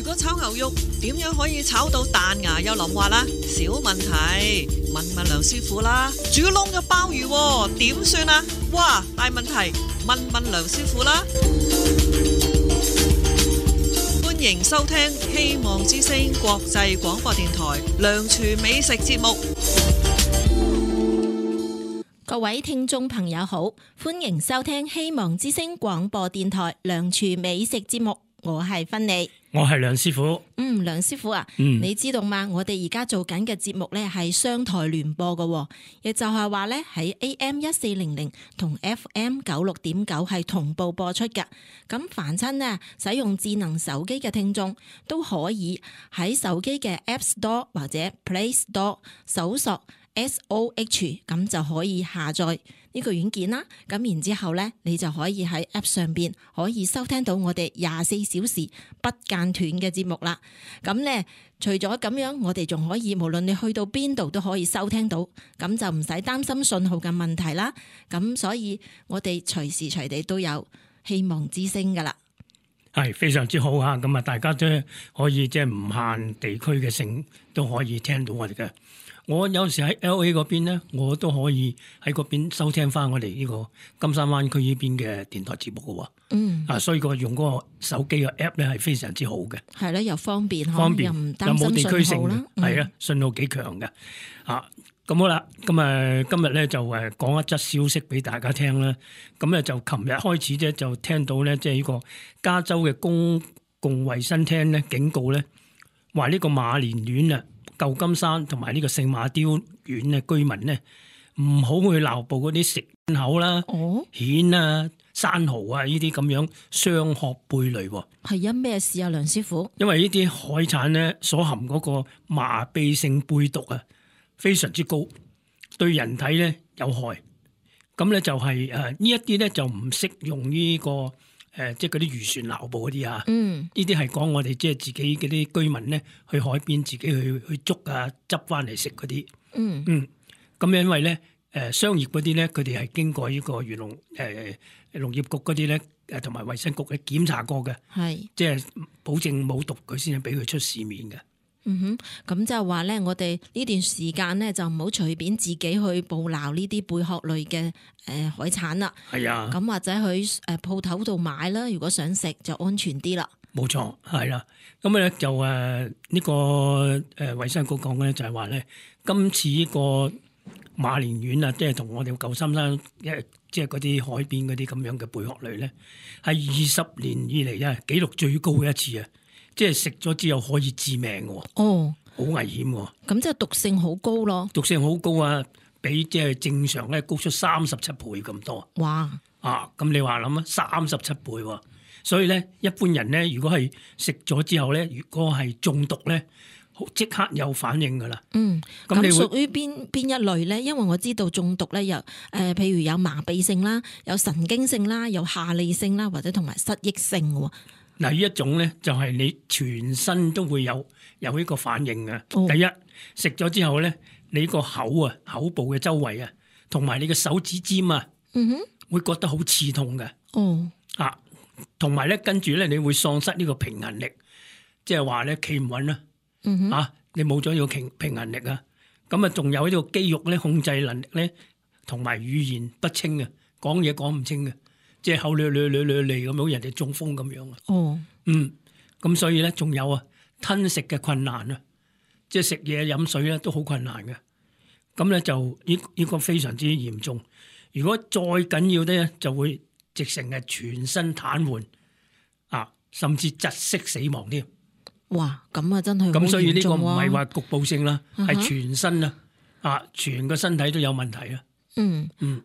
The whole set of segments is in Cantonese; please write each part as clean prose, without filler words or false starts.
果炒牛肉點樣可以炒到彈牙又淋滑啦？小問題，問問梁師傅啦。煮燶嘅鮑魚點算啊？哇，大問題，問問梁師傅啦。歡迎收聽希望之聲國際廣播電台梁廚美食節目。各位聽眾朋友好，歡迎收聽希望之聲廣播電台梁廚美食節目，我係芬妮，我係梁師傅。梁師傅啊，你知道嗎？我哋而家做緊嘅節目咧係雙台聯播嘅，亦就係話咧喺 AM1400 同 FM96.9 係同步播出嘅。咁凡親呢使用智能手機嘅聽眾都可以喺手機嘅 App Store 或者 Play Store 搜索SOH， 咁就可以下載呢個軟件啦。咁然之後咧，你就可以喺 App 上邊可以收聽到我哋24小時不間斷嘅節目啦。咁咧，除咗咁樣，我哋仲可以無論你去到邊度都可以收聽到，咁就唔使擔心信號嘅問題啦。咁所以我哋隨時隨地都有希望之聲噶啦。係非常之好啊！咁啊，大家都可以即係唔限地區嘅性都可以聽到我哋嘅。我有時喺 LA 嗰邊咧，我都可以喺嗰邊收聽翻我哋呢個金山灣區呢邊嘅電台節目嘅。所以個用嗰個手機嘅 app 咧係非常之好嘅。係啦，又方便，又唔擔心冇地區性信號啦。係啊，信號幾強嘅。咁好啦，咁今日咧就講一則消息俾大家聽啦。咁咧就琴日開始啫，就聽到咧即係呢個加州嘅公共衛生廳咧警告咧，話呢個馬連縣啊、舊金山同埋呢個聖馬刁縣嘅居民咧，唔好去撈捕嗰啲食口啦、蜆啊、生蠔啊呢啲咁樣雙殼貝類。係因咩事啊，梁師傅？因為呢啲海產咧所含嗰個麻痹性貝毒啊，非常之高，對人體咧有害。咁咧就係呢一啲咧就唔適用呢個即係嗰啲漁船撈捕嗰啲啊。呢啲係講我哋即係自己嗰啲居民咧去海邊自己去捉啊，執翻嚟食嗰啲。咁因為咧商業嗰啲咧，佢哋係經過呢個漁農農業局嗰啲咧同埋衛生局嘅檢查過嘅，即係保證冇毒，佢先至俾佢出市面嘅。咁就係話咧，我哋呢段時間咧就唔好隨便自己去捕撈呢啲貝殼類嘅海產啦。係啊，咁或者去鋪頭度買啦，如果想食就安全啲啦。冇錯，係啦。咁咧就呢個衛生局講咧就係話咧，今次呢個馬連縣啊，即係同我哋舊金山即係嗰啲海邊嗰啲咁樣嘅貝殼類咧，係20年以嚟啊紀錄最高嘅一次啊！即係食咗之後可以致命嘅，好危險喎。咁即係毒性好高咯。毒性好高啊，比即係正常咧高出37倍咁多。哇！咁你話諗啊，37倍喎。所以咧，一般人咧，如果係食咗之後咧，如果係中毒咧，即刻有反應噶啦。咁你屬於邊一類咧？因為我知道中毒咧，有譬如有麻痹性啦，有神經性啦，有下痢性啦，或者同埋失憶性嘅。嗱，呢一種咧就係你全身都會有呢個反應嘅。第一，食咗之後咧，你個口部嘅周圍啊，同埋你嘅手指尖啊，會覺得好刺痛嘅。同埋咧，跟住咧，你會喪失呢個平衡力，即係話咧企唔穩啦。你冇咗呢個平衡力啊，咁啊，仲有呢個肌肉咧控制能力咧，同埋語言不清啊，講嘢講唔清嘅。即係口捋咁，好人哋中風咁樣啊！咁所以咧，仲有啊，吞食嘅困難啊，即係食嘢飲水咧都好困難嘅。咁咧就呢個非常之嚴重。如果再緊要啲咧，就會直成係全身癱瘓甚至窒息死亡添。哇！咁啊，真係咁，所以呢個唔係話局部性啦，係全身全個身體都有問題啊。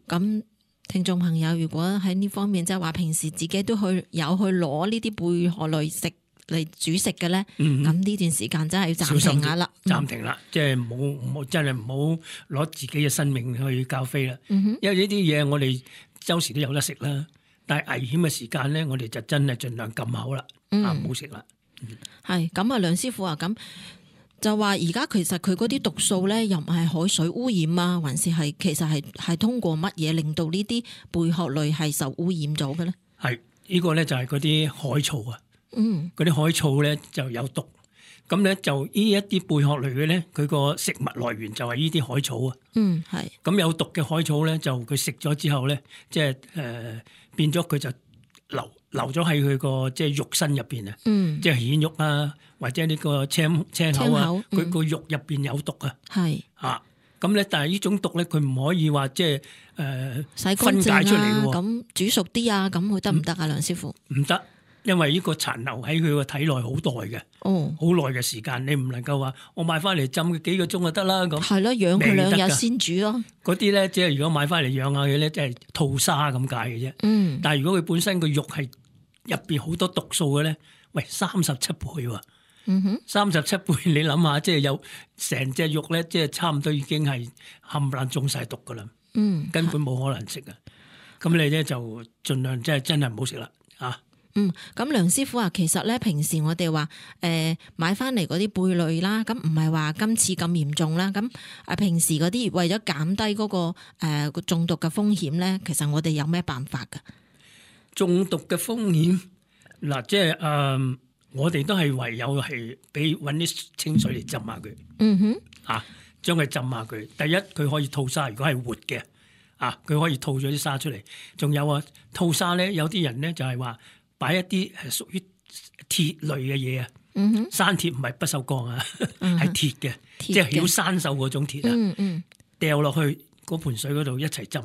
咁。聽眾朋友，如果喺呢方面即係話平時自己都去攞呢啲貝殼類食嚟煮食嘅咧，咁呢段時間真係要暫停下啦。暫停啦，即係冇真係唔好攞自己嘅生命去交飛啦。因為呢啲嘢我哋周時都有得食啦，但係危險嘅時間咧，我哋就真係盡量撳口啦，唔好食啦。係咁啊，梁師傅啊，咁。就話而家其實佢嗰啲毒素咧，又唔係海水污染啊，還是係其實係通過乜嘢令到呢啲貝殼類係受污染咗嘅咧？係呢個咧就係嗰啲海草啊，嗰啲海草咧就有毒。咁咧就呢一啲貝殼類嘅咧，佢個食物來源就係呢啲海草啊。係。咁有毒嘅海草咧，就佢食咗之後咧，即係變咗佢就留咗喺佢個即係肉身入邊啊。即係蜆肉啊，或者呢個青口啊，佢個肉入邊有毒啊。係。咁咧，但係呢種毒咧，佢唔可以話即係洗乾分解淨出嚟喎。咁煮熟啲啊，咁會得唔得啊，梁師傅？唔得。因為呢個殘留喺佢個體內好耐嘅，好耐嘅時間，你唔能夠話我買翻嚟浸佢幾個鐘就得啦咁。係咯，養佢2日先煮咯。嗰啲咧，即係如果買翻嚟養下佢咧，即係吐沙咁解嘅啫。但係如果佢本身個肉係入邊好多毒素嘅咧，喂，37倍喎。37倍，你諗下，即係有成隻肉咧，即係差唔多已經係冚唪唥中晒毒噶啦。根本冇可能食啊。咁你咧就盡量真係唔好食啦，啊！咁梁師傅啊，其實咧平時我哋話買翻嚟嗰啲貝類啦，咁唔係話今次咁嚴重啦。咁平時嗰啲為咗減低嗰個中毒嘅風險咧，其實我哋有咩辦法㗎？中毒嘅風險嗱，即係我哋都係唯有係揾啲清水嚟浸下佢。將佢浸下佢。第一，佢可以吐沙，如果係活嘅佢可以吐咗啲沙出嚟。仲有啊，吐沙咧，有啲人咧就係話，擺一啲係屬於鐵類嘅嘢啊，山鐵唔係不鏽鋼啊，係鐵嘅，即係曉生鏽嗰種鐵啊，掉落去嗰盆水嗰度一齊浸，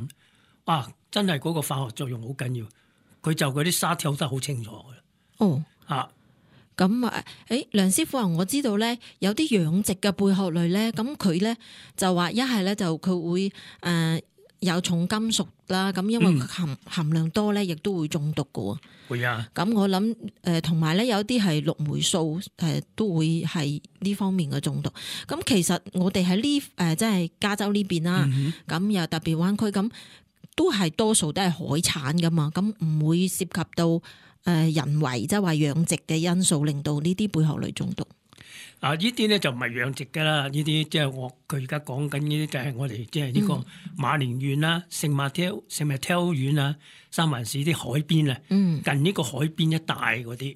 哇！真係嗰個化學作用好緊要，佢就嗰啲沙跳得好清楚嘅。咁梁師傅啊，我知道咧有啲養殖嘅貝殼類咧，咁佢咧就話一係咧就佢會有重金屬啦，咁因為含量多咧，亦都會中毒㗎喎。會啊！咁我諗同埋咧有啲係綠霉素都會係呢方面嘅中毒。咁其實我哋喺呢即係加州呢邊啦，咁又特別灣區，咁都係多數都係海產噶嘛，咁唔會涉及到人為即係話養殖嘅因素，令到呢啲貝殼類中毒。呢啲咧就唔係養殖㗎啦，呢啲即係佢而家講緊呢啲就係我哋即係呢個馬連縣啦、聖馬挑縣啊、三藩市啲海邊啊，近呢個海邊一帶嗰啲，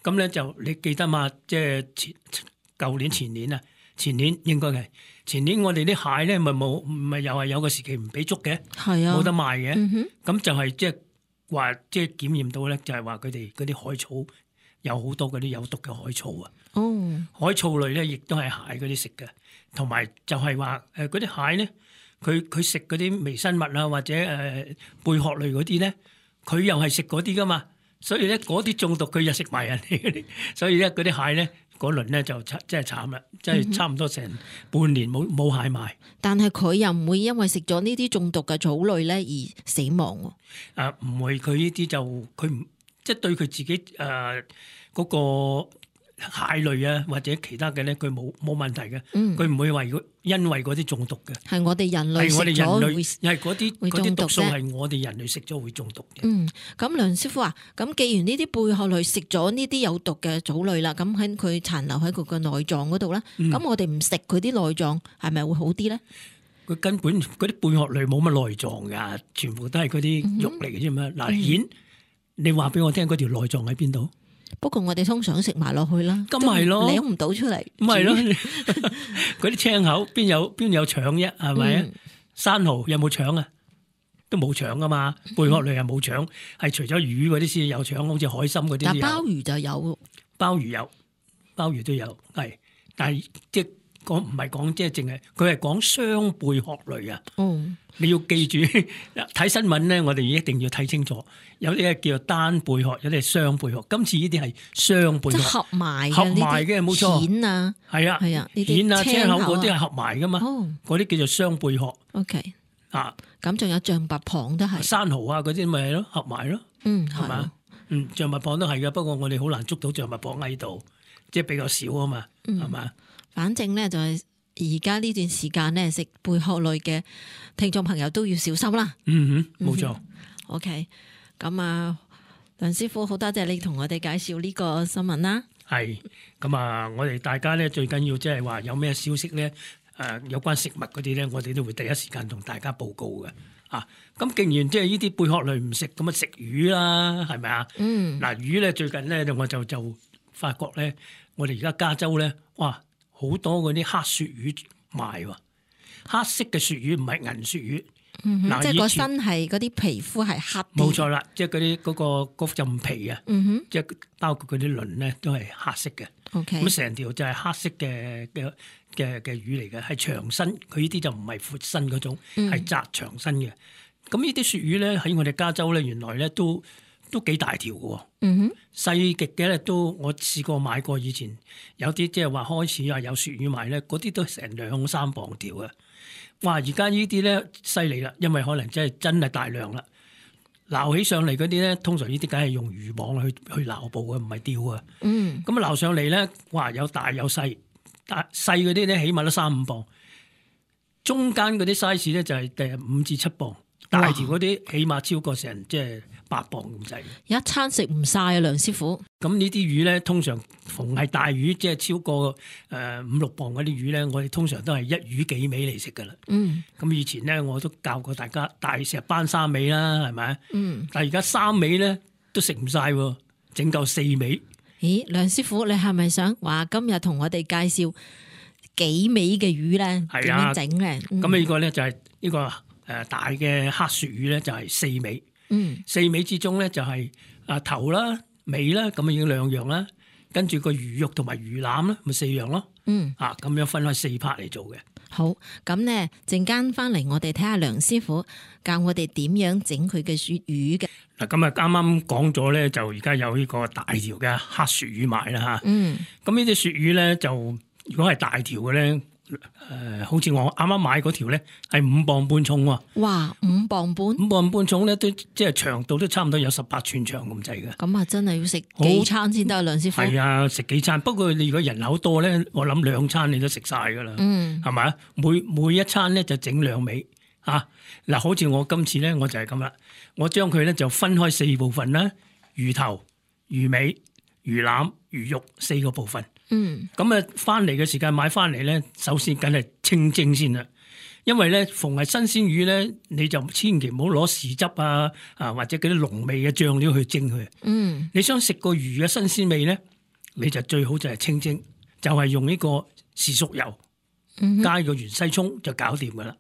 咁咧就你記得嘛？即係前年應該係前年我哋啲蟹咧咪又係有個時期唔俾捉嘅，冇得賣嘅，咁就係即係話即係檢驗到咧，就係話佢哋嗰啲海草有好多嗰啲有毒嘅海草啊。海草類咧，亦都係蟹嗰啲食嘅，同埋就係話嗰啲蟹咧，佢食嗰啲微生物啊，或者貝殼類嗰啲咧，佢又係食嗰啲噶嘛，所以咧嗰啲中毒佢又食埋人哋嗰啲，所以咧嗰啲蟹咧嗰輪咧就真係慘啦，真係差唔多成半年冇蟹賣。但係佢又唔會因為食咗呢啲中毒嘅草類咧而死亡喎。唔會，佢呢啲就佢唔即係對佢自己嗰個蟹類啊，或者其他嘅咧，佢冇問題嘅。佢唔會話如果因為嗰啲中毒嘅，係我哋人類食咗會，係嗰啲毒素係我哋人類食咗會中毒嘅。咁梁師傅啊，咁既然呢啲貝殼類食咗呢啲有毒嘅藻類啦，咁喺佢殘留喺佢嘅內臟嗰度啦，咁我哋唔食佢啲內臟，係咪會好啲咧？佢根本嗰啲貝殼類冇乜內臟噶，全部都係嗰啲肉嚟嘅啫嘛。嗱，蜆，你話俾我聽嗰條內臟喺邊度？不過我哋通常食埋落去啦，咁係咯，舐唔到出嚟，咁係咯。嗰啲青口邊有腸啫，係咪啊？生蠔有冇腸啊？都冇腸噶嘛。貝殼類係冇腸，係除咗魚嗰啲先有腸，好似海參嗰啲。但鮑魚就有，鮑魚都有，係，但係即係講唔係講即係淨係，佢係講雙貝殼類啊。你要記住睇新聞咧，我哋一定要睇清楚。有啲係叫做單貝殼，有啲係雙貝殼。今次呢啲係雙貝殼，即係合埋嘅，冇錯。蜆啊，係啊，蜆啊，青口嗰啲係合埋噶嘛。嗰啲叫做雙貝殼。OK，咁仲有象拔蚌都係。生蠔啊，嗰啲咪係咯，合埋咯。係嘛？象拔蚌都係噶，不過我哋好難捉到象拔蚌喺度，即係比較少啊嘛，係嘛？反正咧就係。而家呢段時間咧，食貝殼類嘅聽眾朋友都要小心啦。冇錯。OK， 咁啊，梁師傅好多謝你同我哋介紹呢個新聞啦。係，咁啊，我哋大家咧最緊要即係話有咩消息咧，有關食物嗰啲咧，我哋都會第一時間同大家報告嘅。啊，咁既然即係呢啲貝殼類唔食，咁啊食魚啦，係咪啊？嗱魚咧最近咧我就發覺咧，我哋而家加州咧，哇好多嗰啲黑鱈魚賣喎，黑色嘅鱈魚唔係銀鱈魚。即係個身係嗰啲皮膚係黑啲。冇錯啦，即係嗰啲嗰陣皮啊，即係包括嗰啲鱗咧都係黑色嘅。咁成條就係黑色嘅魚嚟嘅，係長身。佢呢啲就唔係闊身嗰種，係窄長身嘅。咁呢啲鱈魚咧喺我哋加州咧，原來咧都幾大條嘅。細極嘅咧都我試過買過，以前有啲即係話開始話有鱈魚賣咧，嗰啲都成2-3磅條嘅。哇！而家呢啲咧犀利啦，因為可能真係大量啦，撈起上嚟嗰啲咧，通常呢啲梗係用漁網去撈捕嘅，唔係釣啊。咁啊撈上嚟咧，哇！有大有細，細嗰啲咧起碼都3-5磅，中間嗰啲 size 咧就係5至7磅，大條嗰啲起碼超過成即係8磅咁滯。一餐食唔晒啊，梁師傅。咁呢啲魚咧，通常逢係大魚，即係超過5-6磅嗰啲魚咧，我哋通常都係一魚幾尾嚟食噶啦。咁以前咧，我都教過大家大石斑3尾啦，係咪？但係而家3尾咧都食唔晒喎，整夠4尾。咦，梁師傅，你係咪想話今日同我哋介紹幾尾嘅魚咧？點樣整咧？咁呢個咧就係呢個大嘅黑鱈魚咧，就係4尾。4尾之中咧就係頭啦、尾啦，咁已經2樣啦。跟住個魚肉同埋魚腩咧，咪4樣咯。咁樣分開4 part 嚟做嘅。好，咁咧陣間翻嚟，我哋睇下梁師傅教我哋點樣整佢嘅魚嘅。嗱，咁啊啱啱講咗咧，就而家有呢個大條嘅黑鱈魚賣啦嚇。咁呢啲鱈魚咧，就如果係大條嘅咧。好似我啱啱買嗰條咧，係5磅半重喎。哇，5磅半！5磅半重咧，都即係長度都差唔多有18寸長咁滯嘅。咁啊，真係要食幾餐先得，梁師傅。係啊，食幾餐。不過你如果人口多咧，我諗2餐你都食晒噶啦。係咪啊？每一餐咧就整2尾嚇。嗱，好似我今次咧，我就係咁啦。我將佢咧就分開4部分啦，魚頭、魚尾、魚腩、魚肉4個部分。咁啊，翻嚟嘅時間買翻嚟咧，首先梗係清蒸先啦。因為咧，逢係新鮮魚咧，你就千祈唔好攞豉汁或者嗰啲濃味嘅醬料去蒸佢。你想食個魚嘅新鮮味咧，你就最好就係清蒸，就係用呢個豉熟油加個芫茜葱就搞掂噶啦。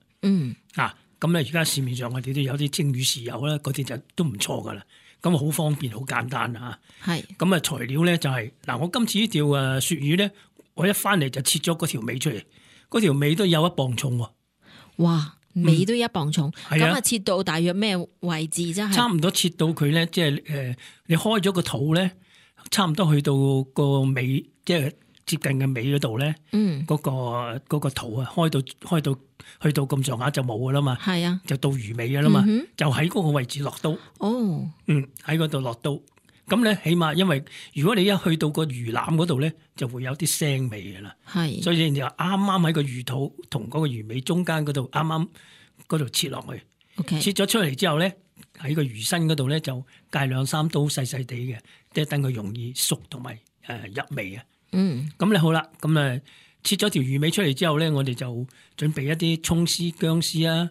咁咧而家市面上我哋都有啲蒸魚豉油啦，嗰啲就都唔錯噶啦。咁好方便，好簡單啊！係咁啊，材料咧就係嗱，我今次呢條鱈魚咧，我一翻嚟就切咗嗰條尾出嚟，嗰條尾都有1磅重喎。哇，尾都1磅重，咁啊切到大約咩位置啫？差唔多切到佢咧，即係你開咗個肚咧，差唔多去到個尾，即係接近嘅尾嗰度咧，嗰個肚啊，開到去到咁上下就冇噶啦嘛，係啊，就到魚尾噶啦嘛，就喺嗰個位置落刀。喺嗰度落刀，咁咧起碼，因為如果你一去到個魚腩嗰度咧，就會有啲腥味噶啦，係，所以你就啱啱喺個魚肚同嗰個魚尾中間嗰度，啱啱嗰度切落去，切咗出嚟之後咧，喺個魚身嗰度咧就界2-3刀細細地嘅，即係等佢容易熟同埋入味啊。咁咧好啦，咁切咗條魚尾出嚟之後咧，我哋就準備一啲葱絲、薑絲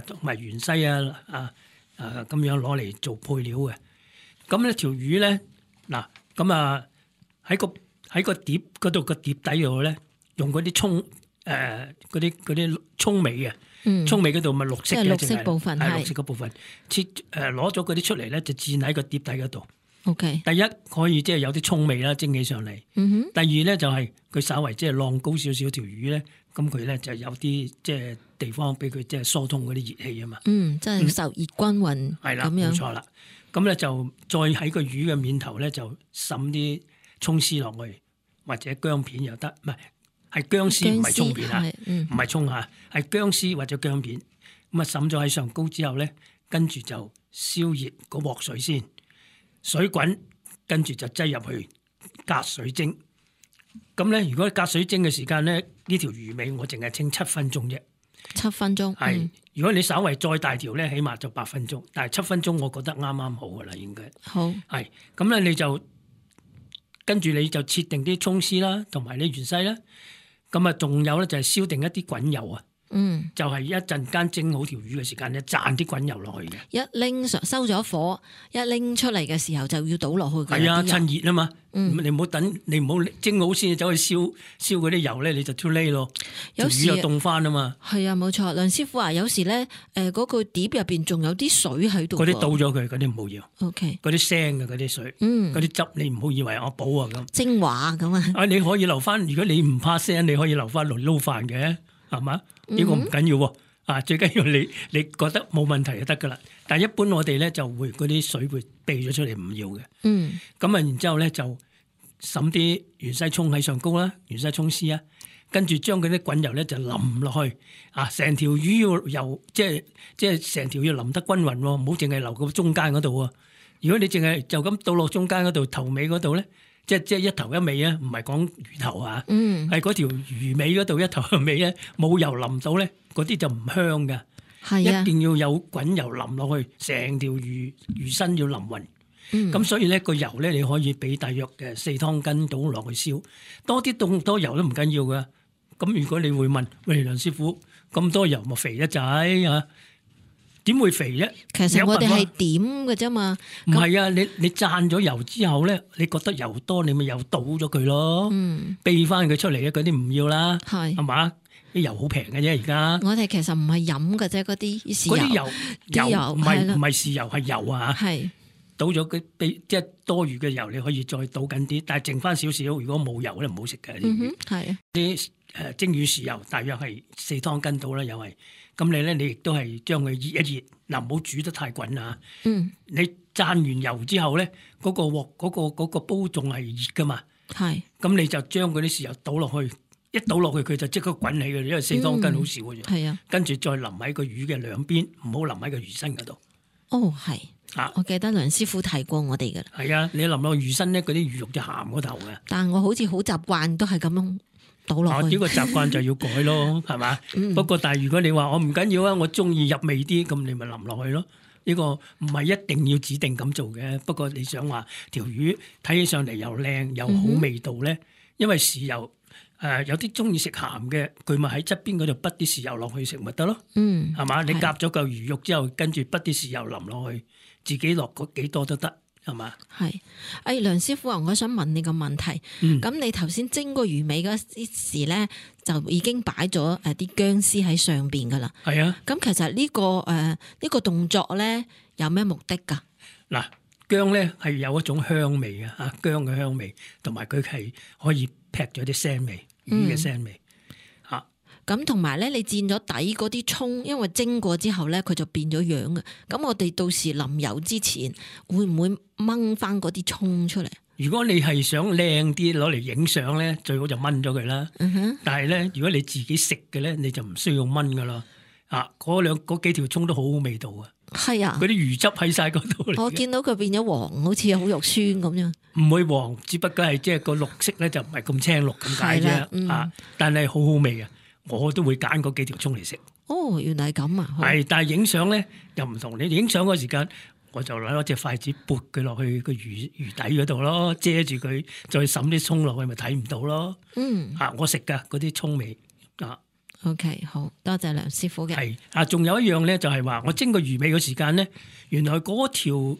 同埋芫茜咁樣攞嚟做配料嘅。咁呢條魚咧，嗱咁喺個碟嗰度個碟底度咧，用嗰啲葱嗰啲葱尾啊，葱尾嗰度咪綠色嘅，綠色部分係綠色嘅部分，切攞咗嗰啲出嚟咧，就墊喺個碟底嗰度。OK，第一可以即係有啲葱味啦，蒸起上嚟。第二咧就係佢稍為即係晾高少少條魚咧，咁佢咧就有啲即係地方俾佢即係疏通嗰啲熱氣啊嘛。即係受熱均勻。係啦，冇錯啦。咁咧就再喺個魚嘅面頭咧就滲啲葱絲落去，或者薑片又得，唔係薑絲，唔係葱片啊，唔係葱嚇，係薑絲或者薑片。咁啊滲咗喺上高之後咧，跟住就燒熱嗰鑊水先。水滾，跟住就擠入去隔水蒸。咁咧，如果隔水蒸嘅時間咧，呢條魚尾我淨係清7分鐘啫。7分鐘。係，如果你稍為再大條咧，起碼就8分鐘。但係7分鐘，我覺得啱啱好噶啦，應該。好。係，咁咧你就跟住你就切定啲葱絲啦，同埋啲芫茜啦。咁啊，仲有咧就係燒定一啲滾油啊。就係一陣間蒸好條魚嘅時間咧，灒啲滾油落去嘅。一拎收咗火，一拎出嚟嘅時候就要倒落去嘅。係啊，趁熱啊嘛。你唔好等，你唔好蒸好先走去燒嗰啲油咧，你就 too late 咯。有時條魚又凍翻啊嘛。係啊，冇錯。梁師傅啊，有時咧嗰個碟入邊仲有啲水喺度。嗰啲倒咗佢，嗰啲唔好要。OK。嗰啲腥嘅嗰啲水，嗰啲汁你唔好以為我補啊咁。精華咁啊。啊，你可以留翻，如果你唔怕腥，你可以留翻嚟撈飯嘅，係嘛？呢個唔緊要喎。啊，最緊要你覺得冇問題就得噶啦。但係一般我哋咧就會嗰啲水會避咗出嚟，唔要嘅。咁啊，然之後咧就揼啲芫茜葱喺上高啦，芫茜葱絲啊，跟住將嗰啲滾油咧就淋落去。啊，成條魚要油，即係成條要淋得均勻喎，唔好淨係留個中間嗰度喎。如果你淨係就咁倒落中間嗰度頭尾嗰度咧，即係一頭一尾啊，唔係講魚頭啊，係嗰條魚尾嗰度一頭一尾咧，冇油淋到咧，嗰啲就唔香噶。係啊，一定要有滾油淋落去，成條魚身要淋勻。咁所以咧個油咧你可以俾大約嘅4湯羹倒落去燒，多啲凍多油都唔緊要噶。咁如果你會問，喂，梁師傅咁多油咪肥一仔啊？點會肥啫？其實我哋係點嘅啫嘛。唔係啊，你灒咗油之後咧，你覺得油多，你咪又倒咗佢咯。避翻佢出嚟啊！嗰啲唔要啦，係嘛？啲油好平嘅啫，而家。我哋其實唔係飲嘅啫，嗰啲豉油。嗰啲油唔係豉油係油啊。係倒咗佢，即係多餘嘅油，你可以再倒緊啲，但係剩翻少少。如果冇油咧，唔好食嘅。係啲蒸魚豉油，大約係4湯羹到啦，又係。咁你亦都係將佢熱一熱，嗱，唔好煮得太滾啊！你灒完油之後咧，嗰個鑊嗰個煲仲係熱噶嘛？係。咁你就將嗰啲豉油倒落去，一倒落去佢就即刻滾起嘅，因為4湯羹好少嘅啫。係啊。跟住再淋喺個魚嘅兩邊，唔好淋喺個魚身嗰度。哦，係。啊！我記得梁師傅提過我哋噶啦。係啊，你淋落魚身咧，嗰啲魚肉就鹹嗰頭嘅。但係我好似好習慣都係咁樣。倒落去，呢個習慣就要改咯，係嘛？不過但係如果你話我唔緊要啊，我中意入味啲，咁你咪淋落去咯。呢個唔係一定要指定咁做嘅。不過你想話條魚睇起上嚟又靚又好味道咧，因為豉油有啲中意食鹹嘅，佢咪喺側邊嗰度滗啲豉油落去食咪得咯。係嘛？你夾咗嚿魚肉之後，跟住滗啲豉油淋落去，自己落幾多都得。係嘛？係，梁師傅啊，我想問你個問題。咁你頭先蒸個魚尾嗰時咧，就已經擺咗啲薑絲喺上邊噶啦。係啊。咁其實呢個動作咧有咩目的噶？嗱，薑咧係有一種香味嘅嚇，薑嘅香味，同埋佢係可以劈咗啲腥味，魚嘅腥味。咁同埋咧，你煎咗底嗰啲葱，因為蒸過之後咧，佢就變咗樣嘅。咁我哋到時淋油之前，會唔會掹翻嗰啲葱出嚟？如果你係想靚啲攞嚟影相咧，最好就掹咗佢啦。但係咧，如果你自己食嘅咧，你就唔需要掹噶啦。嗰幾條葱都好好味道啊！係啊，嗰啲魚汁喺晒嗰度。我見到佢變咗黃，好似好肉酸咁樣。唔會黃，只不過係即係個綠色咧就唔係咁青綠咁解啫。但係好好味啊！我都會揀嗰幾條葱嚟食。哦，原來係咁啊！係，但係影相咧又唔同。你影相嗰時間，我就攞隻筷子撥佢落去個魚底嗰度咯，遮住佢，再滲啲葱落去，咪睇唔到咯。我食噶嗰啲葱味啊。OK， 好多謝梁師傅嘅。係仲有一樣咧，就係話我蒸個魚尾嘅時間咧，原來嗰條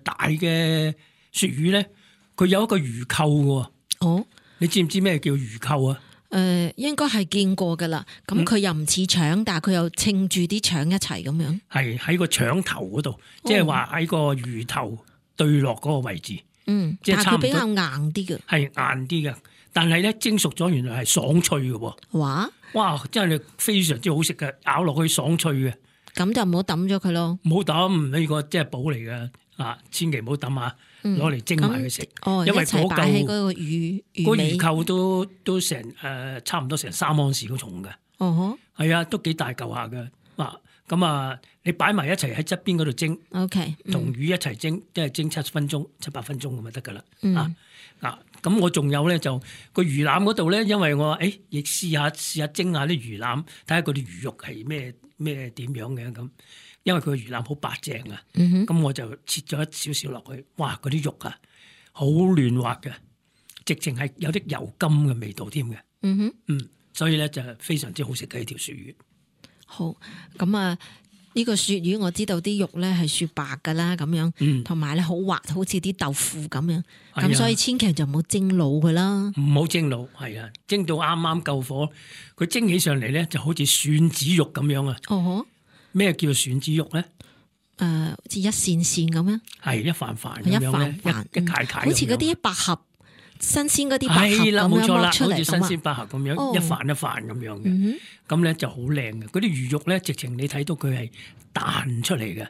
大嘅鱈魚咧，佢有一個魚扣嘅。哦，你知唔知咩叫魚扣啊？應該係見過噶啦，咁佢又唔似腸，但係佢又稱住啲腸一齊咁樣。係喺個腸頭嗰度，即係話喺個魚頭對落嗰個位置。即係差唔多。但係佢比較硬啲嘅。係硬啲嘅，但係咧蒸熟咗，原來係爽脆嘅。哇！真係非常之好食嘅，咬落去爽脆嘅。咁就唔好抌咗佢咯。唔好抌，呢個即係寶嚟嘅。千祈唔好抌下，攞嚟蒸埋佢食。因為嗰嚿魚扣都成差唔多成3盎司咁重嘅。係啊，都幾大嚿下嘅。咁你擺埋一齊喺側邊嗰度蒸。OK，同魚一齊蒸，即係蒸7分鐘、7、8分鐘咁就得噶啦。咁我仲有咧就個魚腩嗰度咧，因為我亦試下蒸下啲魚腩，睇下嗰啲魚肉係咩點樣嘅咁。因為佢個魚腩好白淨啊，咁我就切咗一少少落去，哇！嗰啲肉啊，好嫩滑嘅，直情係有啲油甘嘅味道添嘅。所以咧就非常之好食嘅一條鱈魚。好，咁啊呢個鱈魚我知道啲肉咧係雪白噶啦，咁樣，同埋咧好滑，好似啲豆腐咁樣，咁所以千祈就唔好蒸老佢啦。唔好蒸老，係啊，蒸到啱啱夠火，佢蒸起上嚟咧就好似蒜子肉咁樣啊。哦，咩叫蒜子肉咧？好似一線線咁樣，係一塊塊咁樣咧，一塊塊，好似嗰啲百合。新鮮嗰啲百合係啦，冇錯啦，好似新鮮百合咁樣，一瓣一瓣咁樣嘅，咁咧就好靚嘅。嗰啲魚肉咧，直情你睇到佢係彈出嚟嘅，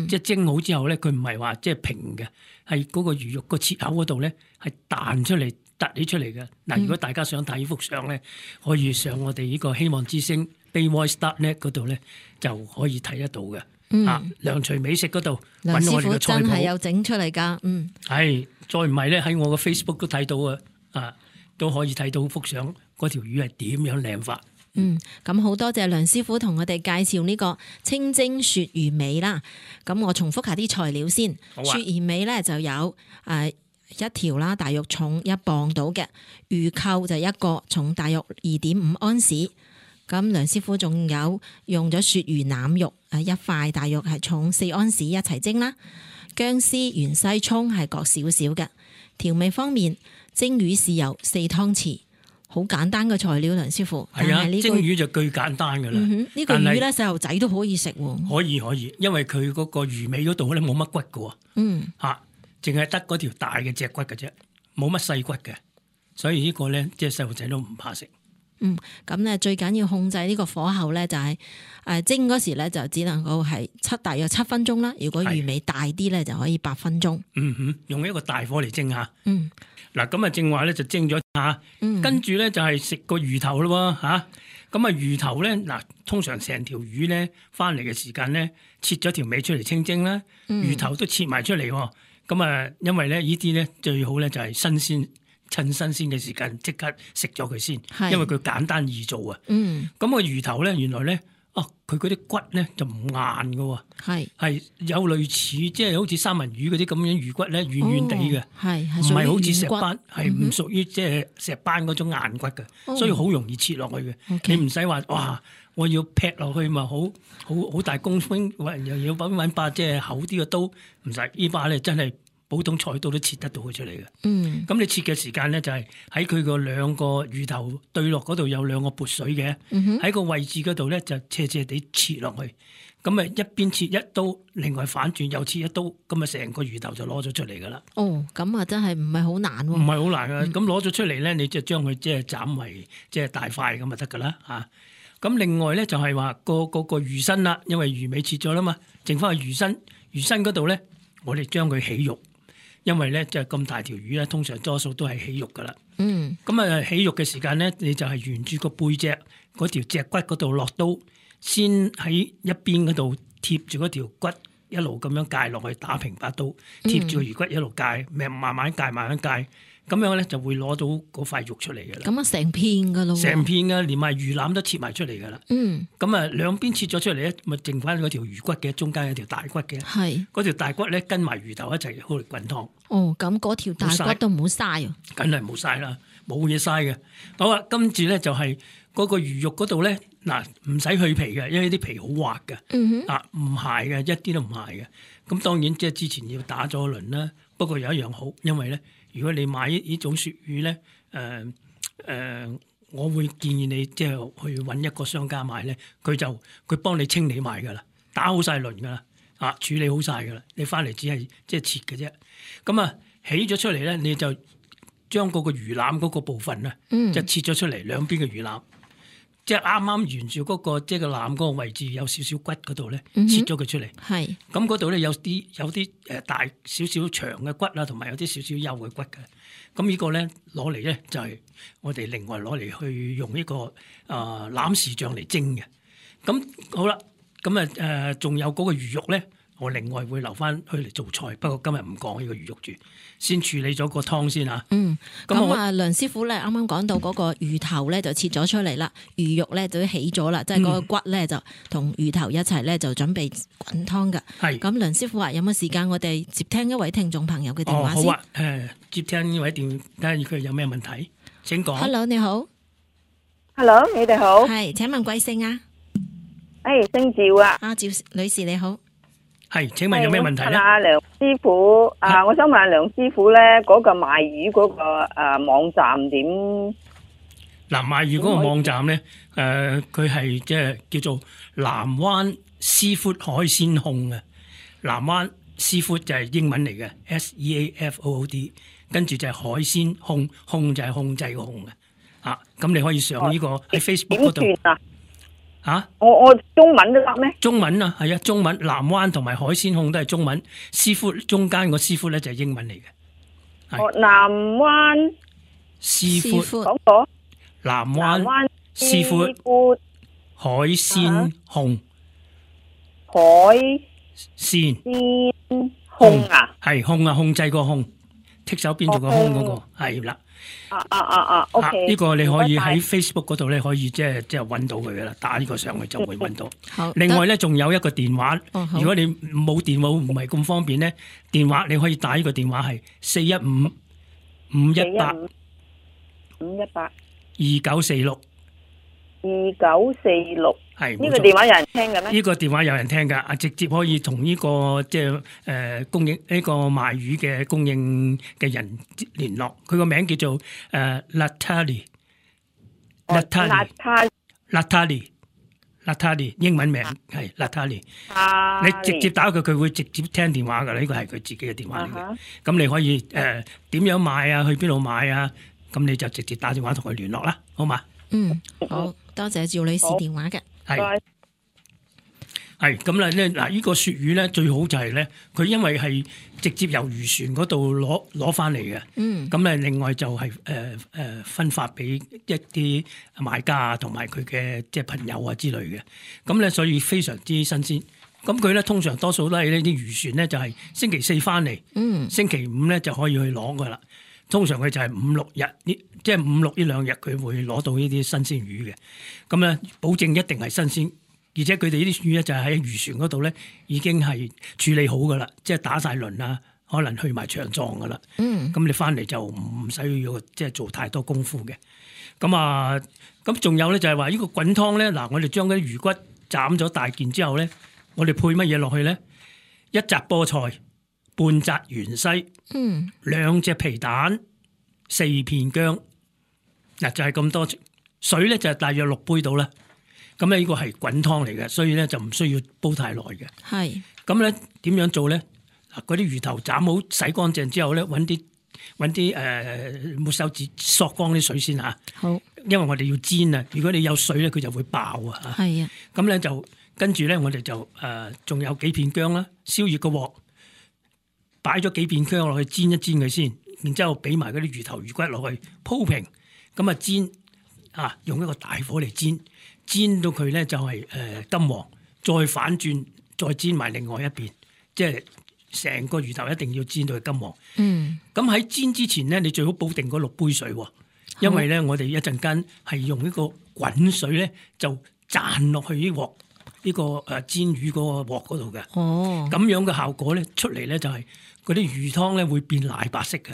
即係蒸好之後咧，佢唔係話即係平嘅，係嗰個魚肉個切口嗰度咧係彈出嚟、突起出嚟嘅。嗱，如果大家想睇呢幅相咧，可以上我哋呢個希望之星 BayVoice.net 嗰度咧就可以睇得到嘅。梁廚美食嗰度揾我哋嘅菜譜，真係有整出嚟噶。係。再唔係咧，喺我嘅 Facebook 都睇到啊，都可以睇到幅相，嗰條魚係點樣靚法。咁好多謝梁師傅同我哋介紹呢個清蒸鱈魚尾啦。咁我重複下啲材料先。鱈魚尾咧就有一條啦，大約重1磅到嘅魚扣就一個，重大約2.5安士。咁梁師傅仲有用咗鱈魚腩肉一塊，大約係重4安士一齊蒸啦。薑絲、芫茜、蔥係各少少嘅。調味方面，蒸魚豉油4湯匙，好簡單嘅材料。梁師傅，係啊，蒸魚就最簡單噶啦。呢個魚咧，細路仔都可以食喎。可以，因為佢嗰個魚尾嗰度咧冇乜骨噶。淨係得嗰條大嘅脊骨嘅啫，冇乜細骨嘅，所以呢個咧即係細路仔都唔怕食。咁咧最緊要控制呢個火候咧，就係蒸嗰時咧就只能夠係大約7分鐘啦。如果魚尾大啲咧，就可以8分鐘。用一個大火嚟蒸下。嗱，咁啊正話咧就蒸咗下，跟住咧就係食個魚頭咯吓。咁啊魚頭咧嗱，通常成條魚咧翻嚟嘅時間咧，切咗條尾出嚟清蒸啦，魚頭都切埋出嚟。咁啊，因為咧呢啲咧最好咧就係新鮮。趁新鮮嘅時間即刻食咗佢先，因為佢簡單易做啊。咁個魚頭咧，原來咧，佢嗰啲骨咧就唔硬㗎，係有類似即係好似三文魚嗰啲咁樣魚骨咧，軟軟地嘅，唔係好似石斑，係唔屬於即係石斑嗰種硬骨嘅，所以好容易切落去嘅。你唔使話哇，我要劈落去嘛，好大功夫，又要揾把即係厚啲嘅刀，唔使呢把咧真係。普通菜刀都切得到佢出嚟嘅。咁你切嘅時間咧就係喺佢個兩個魚頭對落嗰度有兩個撥水嘅，喺個位置嗰度咧就斜斜地切落去。咁啊一邊切一刀，另外反轉又切一刀，咁啊成個魚頭就攞咗出嚟噶啦。咁啊真係唔係好難喎。唔係好難啊。咁攞咗出嚟咧，你就將佢即係斬為即係大塊咁就得噶啦嚇。咁另外咧就係話個魚身啦，因為魚尾切咗啦嘛，剩翻個魚身嗰度咧，我哋將佢起肉。因為咧，即係咁大條魚咧，通常多數都係起肉噶啦。咁啊，起肉嘅時間咧，你就係沿住個背脊嗰條脊骨嗰度落刀，先喺一邊嗰度貼住嗰條骨，一路咁樣界落去，打平把刀，貼住個魚骨一路界，慢慢界，慢慢界，咁樣咧就會攞到嗰塊肉出嚟嘅啦。咁啊，成片噶咯，成片噶，連埋魚腩都切埋出嚟噶啦。咁啊，兩邊切咗出嚟咧，咪剩翻嗰條魚骨嘅，中間有條大骨嘅。係嗰條大骨咧，跟埋魚頭一齊好嚟滾湯。咁嗰條大骨都唔好嘥啊！梗係冇嘥啦，冇嘢嘥嘅。好啊，跟住咧就係嗰個魚肉嗰度咧，嗱唔使去皮嘅，因為啲皮好滑嘅。唔鹹嘅，一啲都唔鹹嘅。咁當然即係之前要打咗輪啦。不過有一樣好，因為咧。如果你買呢種鱈魚咧，我會建議你即係去揾一個商家買咧，佢幫你清理埋噶啦，打好晒輪噶啦，處理好晒噶啦，你翻嚟只係即係切嘅啫。咁啊起咗出嚟咧，你就將嗰個魚腩嗰個部分啊，就切咗出嚟兩邊嘅魚腩，即係啱啱沿住嗰個即係個腩嗰個位置有少少骨嗰度咧，切咗佢出嚟。係咁嗰度咧有啲大少少長嘅骨啦，同埋有啲少少幼嘅骨嘅。咁呢個咧攞嚟咧就係我哋另外攞嚟去用呢個欖豉醬嚟蒸嘅。咁好啦，咁仲有嗰個魚肉咧，我另外會留翻去嚟做菜。不過今日唔講呢個魚肉住，先處理咗個湯先嚇。咁梁師傅咧啱啱講到嗰個魚頭咧就切咗出嚟啦，魚肉咧就起咗啦，即係嗰個骨咧就同魚頭一齊咧就準備滾湯㗎。係咁，梁師傅話有冇時間我哋接聽一位聽眾朋友嘅電話先？好啊，接聽呢位電，睇下佢有咩問題？請講。Hello， 你好。Hello， 你哋好。係，請問貴姓啊？姓趙啊。趙女士你好。係，請問有咩問題咧？阿梁師傅，我想問下梁師傅咧，嗰個賣魚嗰個網站點？嗱，賣魚嗰個網站咧，佢係即係叫做南灣Seafood海鮮控啊。南灣 Seafood 就係英文嚟嘅 SEAFOOD， 跟住就係海鮮控，控就係控制個控嘅。咁你可以上呢個喺 Facebook 嗰度。點算啊？我中文都得咩？中文啊，係啊，中文南灣同埋海鮮控都係中文，Seafood 中間個 Seafood 咧就係英文嚟嘅。南灣 Seafood 講過。南灣 Seafood 海鮮控。海鮮控啊？係控啊，控制個控，剔手邊做個空嗰個係啦。OK。呢個你可以喺 Facebook 嗰度咧，可以即係揾到佢噶啦，打呢個上去就會揾到。另外咧，仲有一個電話，如果你冇電話唔係咁方便咧，電話你可以打呢個電話係415-518-2946。係呢個電話有人聽嘅咩？呢個電話有人聽噶，直接可以同呢個即係供應呢個賣魚嘅供應嘅人聯絡。佢個名叫做Natalie，英文名係 Natalie。你直接打佢，佢會直接聽電話噶啦。呢個係佢自己嘅電話嚟嘅。咁你可以點樣買啊？去邊度買啊？咁你就直接打電話同佢聯絡啦，好嘛？好多謝趙女士電話嘅。係咁啦咧，嗱，呢個鱈魚咧最好就係咧，佢因為係直接由漁船嗰度攞翻嚟嘅。咁咧另外就係分發俾一啲買家啊，同埋佢嘅即係朋友啊之類嘅。咁咧所以非常之新鮮。咁佢咧通常多數都係呢啲漁船咧就係星期四翻嚟，星期五咧就可以去攞噶啦。通常佢就係5-6日呢，即係5-6呢兩日佢會攞到呢啲新鮮魚嘅。咁咧保證一定係新鮮。而且佢哋呢啲魚咧就係喺漁船嗰度咧已經係處理好噶啦，即係打晒輪啊，可能去埋腸臟噶啦。咁你翻嚟就唔使要即係做太多功夫嘅。咁仲有咧就係話呢個滾湯咧，嗱，我哋將嗰啲魚骨斬咗大件之後咧，我哋配乜嘢落去咧？一紮菠菜，半紮芫茜，2隻皮蛋，4片薑。嗱，就係咁多水咧，就係大約6杯到啦。咁咧呢個係滾湯嚟嘅，所以咧就唔需要煲太耐嘅。係。咁咧點樣做咧？嗱，嗰啲魚頭斬好洗乾淨之後咧，揾啲抹手紙索乾啲水先嚇。好。因為我哋要煎啊，如果你有水咧，佢就會爆啊。係啊。咁咧就跟住咧，我哋就仲有幾片薑啦，燒熱個鑊，擺咗幾片薑落去煎一煎佢先，然之後俾埋嗰啲魚頭魚骨落去鋪平，咁啊煎啊，用一個大火嚟煎。煎到佢咧就係金黃，再反轉再煎埋另外一邊，即係成個魚頭一定要煎到佢金黃。咁喺煎之前咧，你最好煲定嗰6杯水，因為咧我哋一陣間係用呢個滾水咧就賺落去呢鑊呢個煎魚嗰個鑊嗰度嘅。咁樣嘅效果咧出嚟咧就係嗰啲魚湯咧會變奶白色嘅。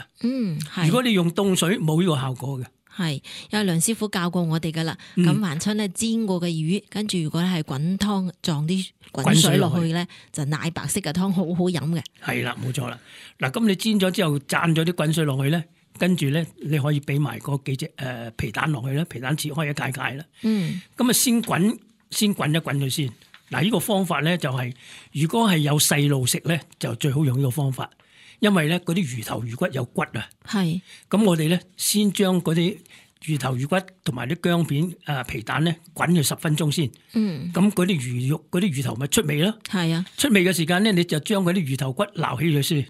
如果你用凍水冇呢個效果嘅。係，有梁師傅教過我哋噶啦。咁凡親咧煎過嘅魚，跟住如果係滾湯撞啲滾水落去咧，就奶白色嘅湯好好飲嘅。係啦，冇錯啦。嗱，咁你煎咗之後，灒咗啲滾水落去咧，跟住咧你可以俾埋嗰幾隻皮蛋落去啦，皮蛋切開一塊塊啦。咁啊先滾一滾佢先。嗱，呢個方法咧就係，如果係有細路食咧，就最好用呢個方法。因為咧嗰啲魚頭魚骨有骨啊，係咁我哋咧先將嗰啲魚頭魚骨同埋啲薑片皮蛋咧滾佢10分鐘先，咁嗰啲魚肉嗰啲魚頭咪出味咯，係啊，出味嘅時間咧你就將嗰啲魚頭骨撈起佢先，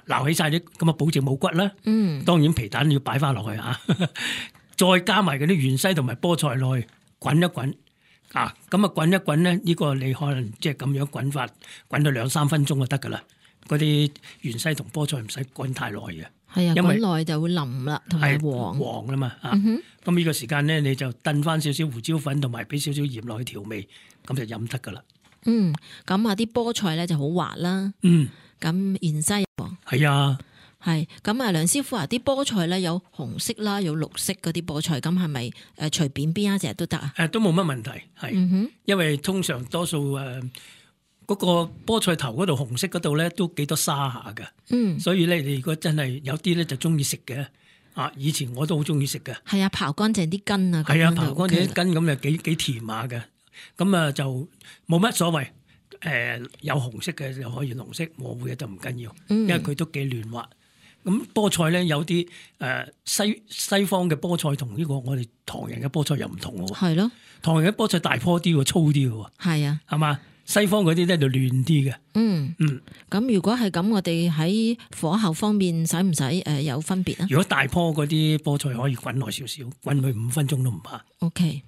撈起晒啲咁啊保證冇骨啦，當然皮蛋要擺翻落去再加埋嗰啲芫茜同埋菠菜落去滾一滾，咁啊滾一滾咧呢個你可能即係咁樣滾法滾到2-3分鐘就得噶啦。嗰啲芫茜同菠菜唔使滾太耐嘅，係啊，因為滾耐就會腍啦，同埋黃啦嘛。咁呢個時間咧，你就燉翻少少胡椒粉，同埋俾少少鹽落去調味，咁就飲得噶啦。咁啲菠菜咧就好滑啦。咁芫茜係啊，係咁啊，梁師傅啊，啲菠菜咧有紅色啦，有綠色嗰啲菠菜，咁係咪隨便邊一隻都得啊？都冇乜問題，係，因為通常多數嗰個菠菜頭嗰度紅色嗰度咧都幾多沙下㗎，所以咧你如果真係有啲咧就中意食嘅，以前我都好中意食嘅。係啊，刨乾淨啲根啊，係啊，刨乾淨啲根咁就幾甜下嘅，咁啊就冇乜所謂。有紅色嘅就可以紅色，模糊嘅就唔緊要，因為佢都幾嫩滑。咁菠菜咧有啲西方嘅菠菜同呢個我哋唐人嘅菠菜又唔同喎。係咯，唐人嘅菠菜大棵啲喎，粗啲喎。係啊，係嘛？西方嗰啲咧就嫩啲嘅。咁如果係咁，我哋喺火候方面使唔使有分別啊？如果大棵嗰啲菠菜可以滾耐少少，滾佢5分鐘都唔怕。OK，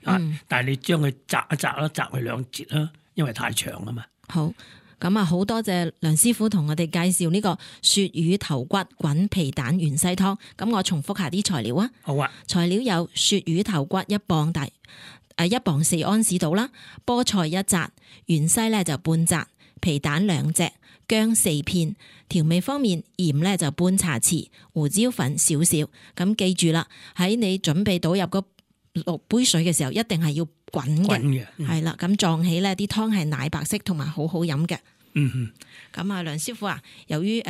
但係你將佢摘一摘啦，摘佢2截啦，因為太長啊嘛。好，咁啊好多謝梁師傅同我哋介紹呢個鱈魚頭骨滾皮蛋芫茜湯。咁我重複下啲材料啊。好啊。材料有鱈魚頭骨1磅大，1磅4安士到啦。菠菜1紮，芫茜咧就半紮，皮蛋2隻，薑4片。調味方面，鹽咧就半茶匙，胡椒粉少少。咁記住啦，喺你準備倒入嗰6杯水嘅時候，一定係要滾嘅，係啦，咁撞起咧啲湯係奶白色同埋好好飲嘅。咁啊，梁師傅啊，由於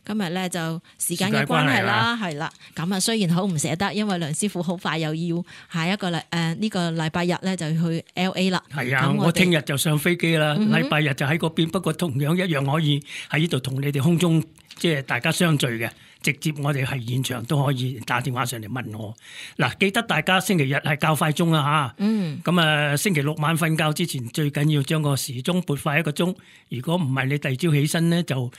今日咧就時間嘅關係啦，係啦，咁啊雖然好唔捨得，因為梁師傅好快又要下一個呢個禮拜日咧就去 LA 啦。係啊，我聽日就上飛機啦，禮拜日就喺嗰邊，不過同樣一樣可以喺呢度同你哋空中即係大家相聚嘅。直接我哋係現場都可以打電話上嚟問我。嗱，記得大家星期日係較快鐘啊嚇。咁啊，星期六晚瞓覺之前最緊要將個時鐘撥快1個鐘。如果唔係你第二朝起身咧，就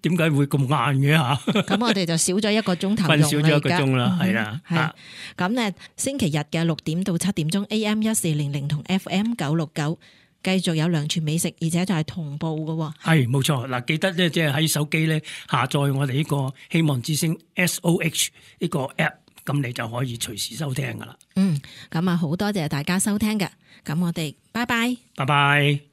點解會咁晏嘅嚇？咁我哋就少咗1個鐘頭用啦。瞓少咗1個鐘啦，係啦。係。咁咧，星期日嘅6點到7點鐘 AM 1400同 FM 969。繼續有梁廚美食，而且就係同步嘅喎。係冇錯，嗱，記得咧，即係喺手機咧下載我哋呢個希望之聲 SOH 呢個 app， 咁你就可以隨時收聽噶啦。咁啊，好多謝大家收聽嘅，咁我哋拜拜。拜拜。